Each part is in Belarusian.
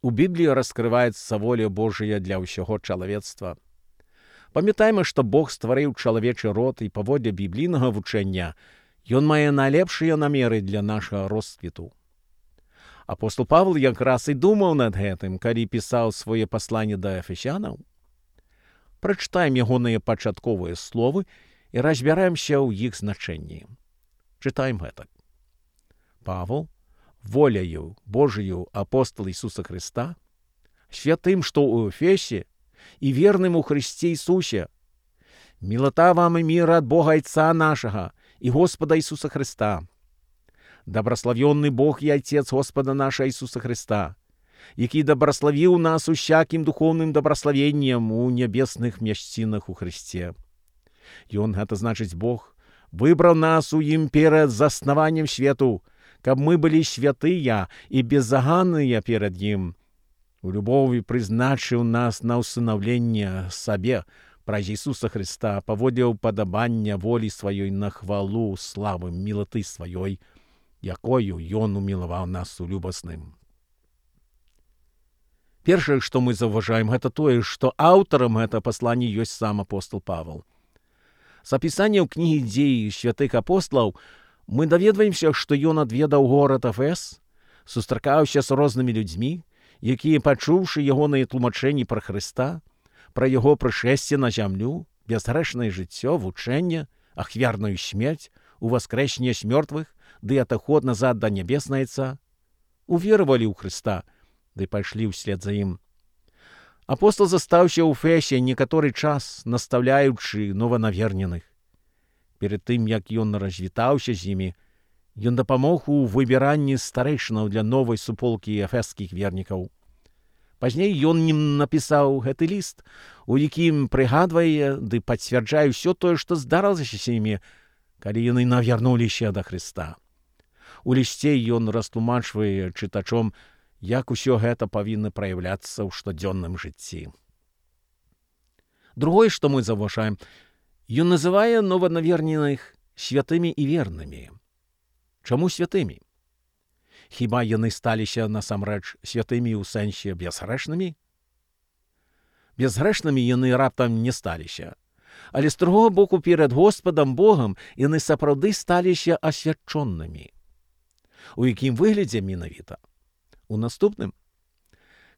У Бібліі раскрываецца воля Божая для ўсяго чалавецтва. Памятайма, што Бог стварыў чалавечы род, і паводле біблійнага вучэння ён мае найлепшыя намеры для нашага росквіту. Апостол Павел якраз і думаў над гэтым, калі пісаў свае пасланні да эфесянаў. Прачытаем ягоныя пачатковыя словы і разбяремся ў іх значэнні. Чытаем гэтак. Павел, воляю Божию апостол Ісуса Христа, святым, што ў Эфесе, и верным у Христе Иисусе. Милота вам и мир от Бога Отца нашего и Господа Иисуса Христа. Добрословенный Бог и Отец Господа нашего Иисуса Христа, який добрословил нас усяким духовным добрословением у небесных мещинах у Христе. И Он, это значит Бог, выбрал нас у им перед заснованием свету, как мы были святые и беззаганные перед Ним. У любові призначив нас на усиновлення себе праз Ісуса Христа, паводле уподобання волі своєї на хвалу слави милоти своєї, якою Ён умиловал нас улюбосним. Першае, што мы заўважаем, гэта тое, што аўтарам гэта паслання ёсць сам апостол Павел. З апісання ў кнігі дзеі святых апостолаў мы даведваемся, што ён адведаў горад Эфес, сустракаўся з рознымі людзьмі, якія, пачуўшы ягоныя тлумачэнні пра Хрыста, пра яго прышэсце на зямлю, бязгрэшнае жыццё, вучэнне, ахвярную смерць, уваскрэсенне з мёртвых, ды атаход назад да нябеснае Отца, уверовали ў Хрыста, ды пайшлі ўслед за ім. Апостол застаўся ў Эфесе некаторы час, настаўляючы нованаверненых. Перед тым, як ён развітаўся з імі, ён дапамог у выбіранні старэйшынаў для новай суполкі эфескіх вернікаў. Пазней ён ім напісаў гэты ліст, у якім прыгадвае ды пацвярджае ўсё тое, што здарылася з імі, калі яны навярнуліся да Хрыста. У лісце ён растлумачвае чытачом, як усё гэта павінна праяўляцца ў штодзённым жыцці. Другое, што мы заўважаем, ён называе нованаверненых святымі і вернымі. Чаму святымі? Хіба яны сталіся насамрэч святымі ў сэнсе безгрэшнымі? Безгрэшнымі яны раптам не сталіся. Але з другого боку, перед Господом Богом яны сапраўды сталіся асвячонымі. У якім выглядзе менавіта? У наступным.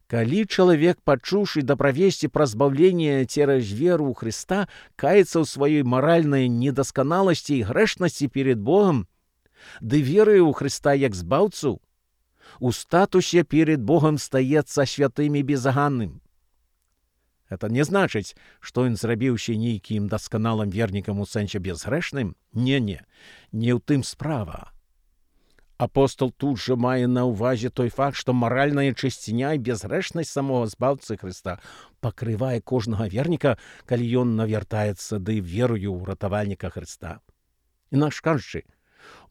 Калі чалавек, пачуўшы даправесці пра збаўленне цераз веру ў Хрыста, каецца ў сваёй маральнай недасканаласці і грэшнасці перед Богом, ды веруе ў Хрыста як збаўцу, у статусе перед Богом стаецца святым і безаганным. Это не значыць, што ён зрабіўся нейкім дасканалым вернікам у сэнсе безгрэшным? Не ў тым справа. Апостол тут жа мае на ўвазе той факт, што маральная чысціня і безгрэшнасць самого збаўцы Хрыста пакрывае кожнага верніка, калі ён навяртаецца ды верую ў ратавальніка Хрыста. Інакш кажучы,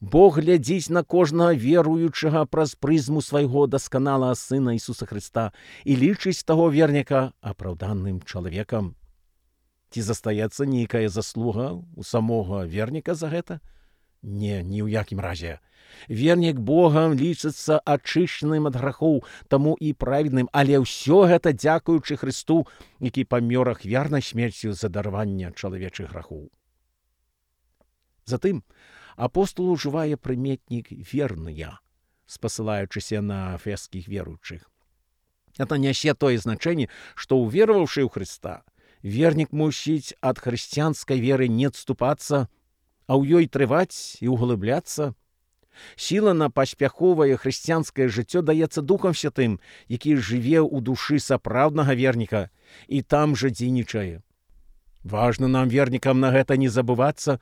Бог глядзіць на кожнага веруючага праз прызму свайго дасканалага Сына Ісуса Хрыста і лічыць таго верніка апраўданым чалавекам. Ці застаецца нейкая заслуга ў самога верніка за гэта? Не, ні ў якім разе. Вернік Богам лічыцца ачышчаным ад грахоў, таму і праведным, але ўсё гэта дзякуючы Хрысту, які памёр ахвярнай смерцю за дараванне чалавечых грахоў. Затым апостол ужывае прыметнік «верныя», спасылаючыся на эфескіх веруючых. Это нясе тое значэнне, што уверовавшы ў Хрыста, вернік мусіць ад хрысціянскай веры не адступацца, а ў ёй трываць і углыбляцца. Сіла на паспяховае хрысціянскае жыццё даецца Духам Святым, які жыве ў душы сапраўднага верніка і там жа дзейнічае. Важна нам, вернікам, на гэта не забывацца,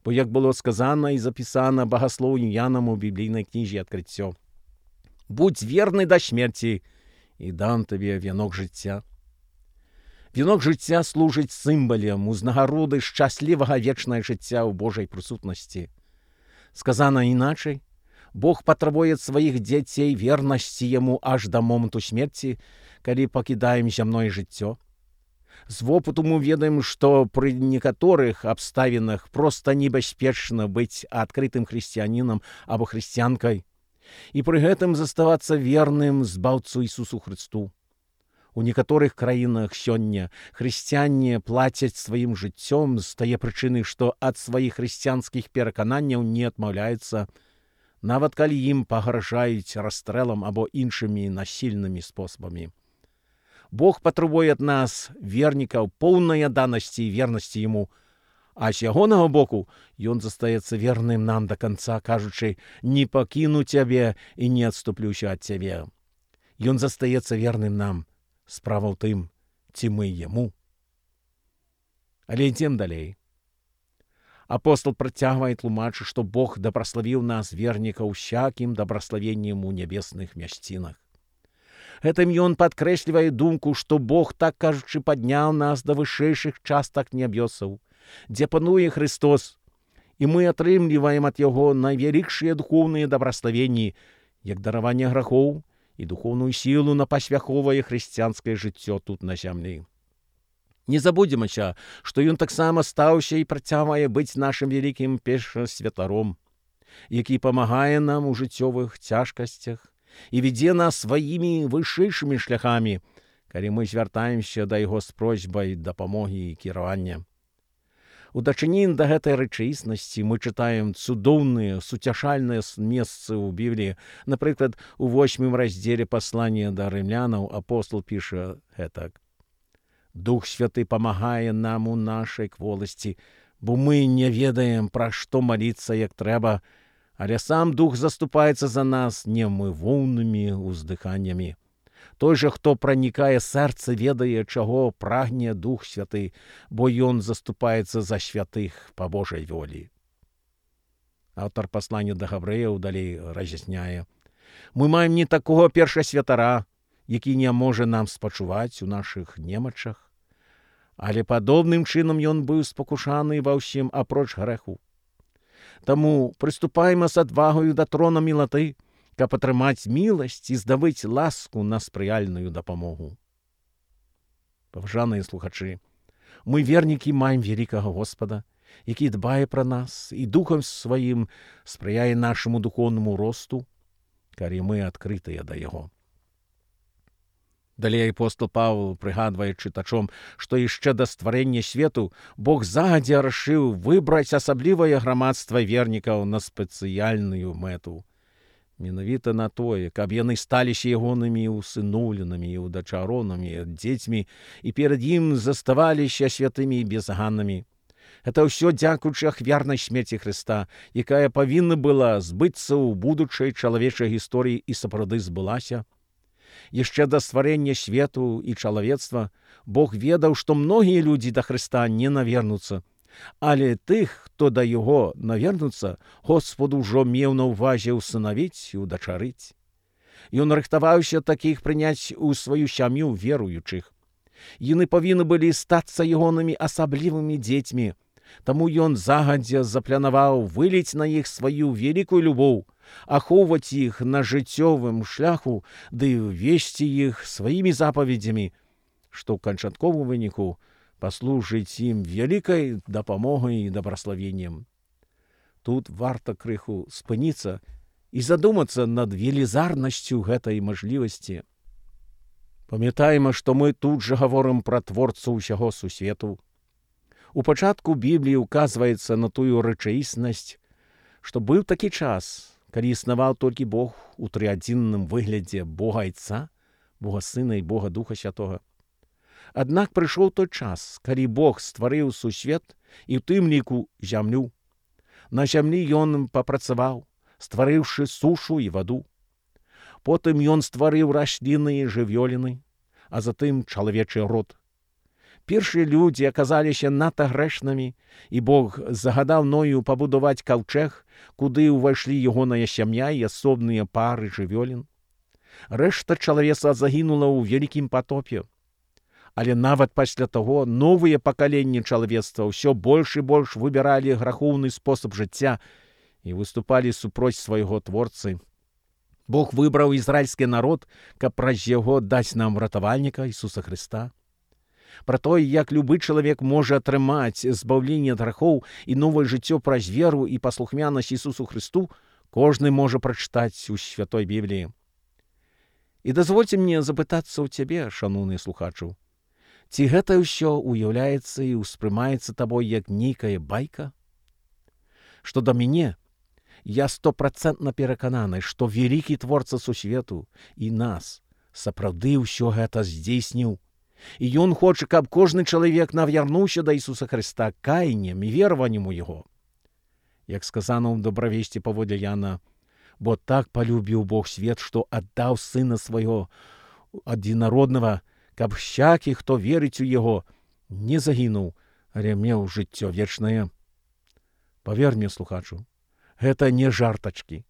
бо, як было сказана і запісана багаслоўем Янам у біблійнай кнізе «Адкрыццё». «Будь верны да смерці, і дам табе вянок жыцця». Вянок жыцця служыць сімвалам узнагароды шчаслівага вечнае жыцця ў Божай прысутнасці. Сказана іначай, Бог патрабуе ад сваіх дзяцей вернасці Яму аж да моманту смерці, калі пакідаем зямное жыццё. З вопыту мы ведаем, што пры некаторых абставінах проста небяспечна быць адкрытым хрысціянінам або хрысціянкай, и при гэтым заставацца верным збаўцу Ісусу Христу. У некаторых краінах сёння хрысціяне плацяць сваім жыццём з тае прычыны, што ад сваіх хрысціянскіх перакананняў не адмаўляюцца, нават калі ім пагражаюць расстрэлам або іншымі насільнымі спосабамі. Бог патрабуе ад нас, вернікаў, поўнай адданасці і вернасці Яму, а з ягонага боку ён застаецца верным нам да канца, кажучы: «Не пакіну цябе і не адступлюся ад цябе». Ён застаецца верным нам. Справа ў тым, ці мы Яму. Але ідзем далей. Апостол працягвае тлумачыць, што Бог дабраславіў нас, вернікаў, усякім дабраславеннем у нябесных мясцінах. Гэтым ён падкрэслівае думку, што Бог, так кажучы, падняў нас да вышэйшых частак нябёсаў, дзе пануе Христос, і мы атрымліваем ад Яго найвялікшыя духоўныя дабраславенні, як дараванне грахоў і духоўную сілу на пасвяховае хрысціянскае жыццё тут на зямлі. Не забудземся, што ён таксама стаўся і працягвае быць нашым вялікім першасвятаром, які памагае нам у жыццёвых цяжкасцях і вядзе нас сваімі вышэйшымі шляхамі, калі мы звяртаемся да Яго з просьбай дапамогі і кіравання. У дачыненні да гэтай рэчаіснасці мы чытаем цудоўныя, суцяшальныя месцы ў Бібліі. Напрыклад, у 8 раздзеле паслання да рымлянаў апостол піша гэтак: «Дух Святы памагае нам у нашай кволасці, бо мы не ведаем, пра што маліцца як трэба, але сам Дух заступаецца за нас немывоўнымі ўздыханнямі. Той жа, хто пранікае сэрца, ведае, чаго прагне Дух Святы, бо ён заступаецца за святых па Божай волі». Аўтар паслання да габрэяў далей раз'ясняе: «Мы маем не такога першасвятара, які не можа нам спачуваць у нашых немачах, але падобным чынам ён быў спакушаны ва ўсім апроч грэху. Таму прыступайма з адвагаю да трона мілаты, каб атрымаць міласць і здабыць ласку на спрыяльную дапамогу». Паважаныя слухачы, мы, вернікі, маем вялікага Господа, які дбае пра нас і духам сваім спрыяе нашаму духоўнаму росту, калі мы адкрытыя да Яго. Далей апостол Павел прыгадвае чытачом, што яшчэ да стварэння свету Бог загадзя рашыў выбраць асаблівае грамадства вернікаў на спецыяльную мэту. Менавіта на тое, каб яны сталіся ягонымі усыноўленымі і удачаронамі, дзецьмі, і перад ім заставаліся святымі і безганнымі. Гэта ўсё дзякуючы ахвярнай смерці Хрыста, якая павінна была збыцца ў будучай чалавечай гісторыі і сапраўды збылася. Яшчэ да стварэння свету і чалавецтва Бог ведаў, што многія людзі да Хрыста не навернуцца, але тых, хто да Яго навернуцца, Господ ужо меў на ўвазе ўсынавіць і удачарыць. Ён рыхтаваўся такіх прыняць у сваю сям'ю веруючых. Яны павінны былі стацца ягонымі асаблівымі дзецьмі, таму ён загадзя запланаваў выліць на іх сваю вялікую любоў, ахоўваць іх на жыццёвым шляху ды весці іх сваімі запаведзямі, што ў канчатковым выніку паслужыць ім вялікай дапамогай і дабраславеннем. Тут варта крыху спыніцца і задумацца над велізарнасцю гэтай мажлівасці. Памятаем, што мы тут жа гаворым пра творцу ўсяго сусвету. У пачатку Бібліі ўказваецца на тую рэчаіснасць, што быў такі час, калі існаваў толькі Бог у трыадзінным выглядзе Бога Айца, Бога Сына і Бога Духа Святога. Аднак прыйшоў той час, калі Бог стварыў сусвет і ў тым ліку зямлю. На зямлі ён папрацаваў, стварыўшы сушу і ваду. Потым ён стварыў расліны і жывёліны, а затым чалавечы род. Першыя людзі аказаліся надта грэшнымі, і Бог загадаў Ною пабудаваць каўчэг, куды ўвайшлі ягоная сям'я і асобныя пары жывёлін. Рэшта чалавецтва загінула ў вялікім патопе. Але нават пасля таго новыя пакаленні чалавецтва ўсё больш і больш выбіралі грахоўны спосаб жыцця і выступалі супроць свайго творцы. Бог выбраў ізраільскі народ, каб праз яго даць нам ратавальніка Ісуса Хрыста. Пра тое, як любы чалавек можа атрымаць збаўленне ад грахоў і новае жыццё праз веру і паслухмянасць Ісусу Хрысту, Кожны можа прачытаць у святой Бібліі. І дазвольце мне запытацца ў цябе, шаноўны слухачу, ці гэта ўсё уяўляецца і ўспрымаецца табой як нейкая байка? Што да мяне, я 100% перакананы, што вялікі творца сусвету і нас сапраўды ўсё гэта здзейсніў. І ён хоча, каб кожны чалавек навярнуўся да Ісуса Хрыста каяннем і вераваннем у Яго. Як сказано ў добравесці паводле Яна, бо так полюбіў Бог свет, што аддаў Сына Свайго адзінароднага, каб всякі, хто верыць у Яго, не загінуў, але меў жыццё вечнае. Павер мне, слухачу, гэта не жартачкі.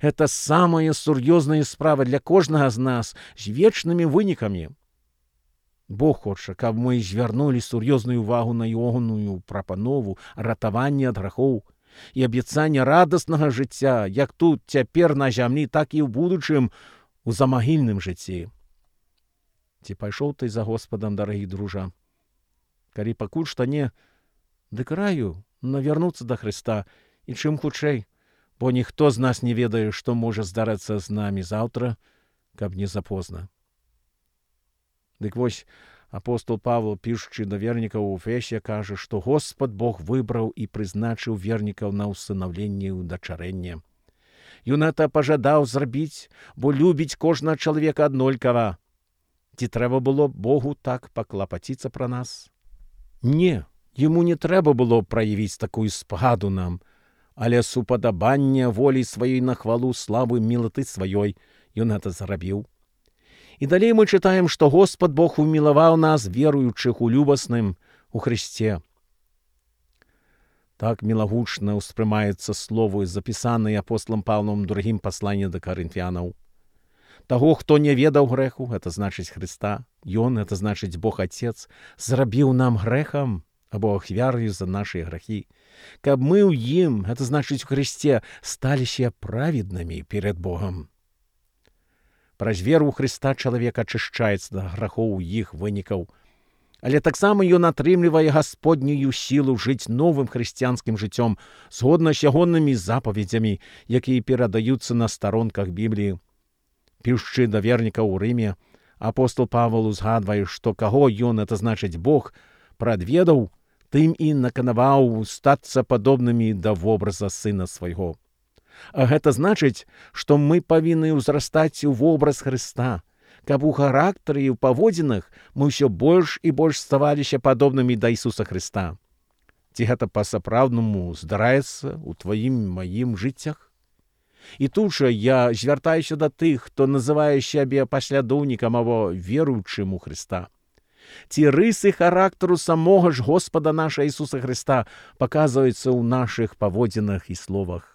Гэта самая сур'ёзная справа для кожнага з нас з вечнымі вынікамі. Бог хоча, каб мы звярнулі сур'ёзную увагу на ягоную прапанову ратавання ад грахоў і абяцання радаснага жыцця, як тут цяпер на зямлі, так і ў будучым у замагільным жыцці. Ці пайшоў ты за Господам, дарагі дружа? Калі пакуль што не, дык раю навярнуцца да Хрыста і чым хутчэй, бо ніхто з нас не ведае, што можа здарыцца з намі заўтра, каб не запозна. Дык вось, апостол Павел, пішучы да вернікаў у Эфесе, кажа, што Господ Бог выбраў і прызначыў вернікаў на ўсынаўленне і ўдачарэнне. Ён гэта пажадаў зрабіць, бо любіць кожнага чалавека аднолькава. Ці трэба было Богу так паклапаціцца пра нас? Не, яму не трэба было праявіць такую спагаду нам, але супадабанне волі сваёй на хвалу славы мілаты сваёй ён гэта зрабіў. І далей мы чытаем, што Господ Бог умілаваў нас, веруючых у любасным, у Христе. Так мілагучна ўспрымаецца словы, запісаныя апостолам Павлом у другім пасланні да Карынфянаў. Таго, хто не ведаў грэху, гэта значыць Христа, ён, гэта значыць Бог Отец, зрабіў нам грэхам або ахвяраю за нашы грахі, каб мы ў ім, гэта значыць у Христе, сталіся праведнымі перед Богом. Праз веру ў Хрыста чалавек ачышчаецца да грахоў іх вынікаў, але таксама ён атрымлівае гасподнюю сілу жыць новым хрысціянскім жыццём згодна з ягонымі запаведзямі, якія перадаюцца на старонках Бібліі. Пішучы да вернікаў у Рыме, апостол Павел узгадвае, што каго ён, это значыць Бог, прадведаў, тым і наканаваў стацца падобнымі да вобраза Сына Свайго. А гэта значыць, што мы павінны ўзрастаць у вобраз Хрыста, каб у характары і ў паводзінах мы ўсё больш і больш ставаліся падобнымі да Ісуса Хрыста. Ці гэта па-сапраўднаму здараецца ў тваім маім жыццях? І тут жа я звяртаюся да тых, хто называе сябе паслядоўнікам або веруючым у Хрыста. Ці рысы характару самога ж Господа наша Ісуса Хрыста паказваюцца ў нашых паводзінах і словах.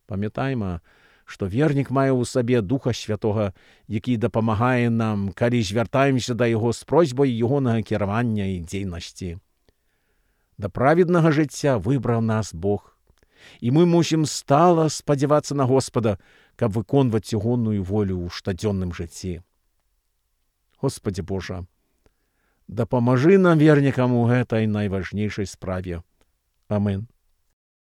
Памятайма, што вернік мае ў сабе Духа Святога, які дапамагае нам, калі звяртаемся да Яго з просьбай ягонага кіравання і дзейнасці. Да праведнага жыцця выбраў нас Бог, і мы мусім стала спадзявацца на Господа, каб выконваць ягоную волю ў штодзённым жыцці. Господи Божа, дапамажы нам, вернікам, у гэтай найважнейшай справе. Амин.